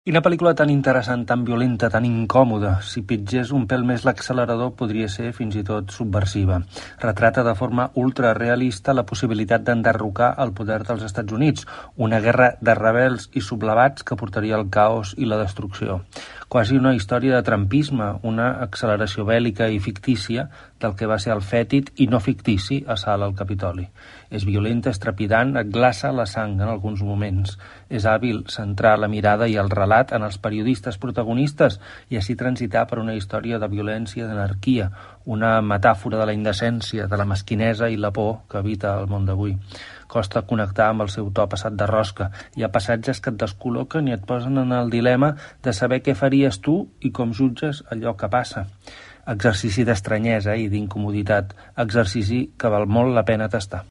Quina pel·lícula tan interessant, tan violenta, tan incòmoda. Si pitgés un pèl més l'accelerador podria ser fins i tot subversiva. Retrata de forma ultrarealista la possibilitat d'enderrocar el poder dels Estats Units, una guerra de rebels i sublevats que portaria al caos i la destrucció. Quasi una història de trumpisme, una acceleració bèl·lica i fictícia del que va ser el fètid i no fictici assalt al Capitoli. És violenta, és trepidant, et glaça la sang en alguns moments. És hàbil centrar la mirada i el relat en els periodistes protagonistes i així transitar per una història de violència i d'anarquia, una metàfora de la indecència, de la mesquinesa i la por que habita el món d'avui. Costa connectar amb el seu to passat de rosca. Hi ha passatges que et descol·loquen i et posen en el dilema de saber què faries tu i com jutges allò que passa. Exercici d'estranyesa i d'incomoditat, exercici que val molt la pena tastar.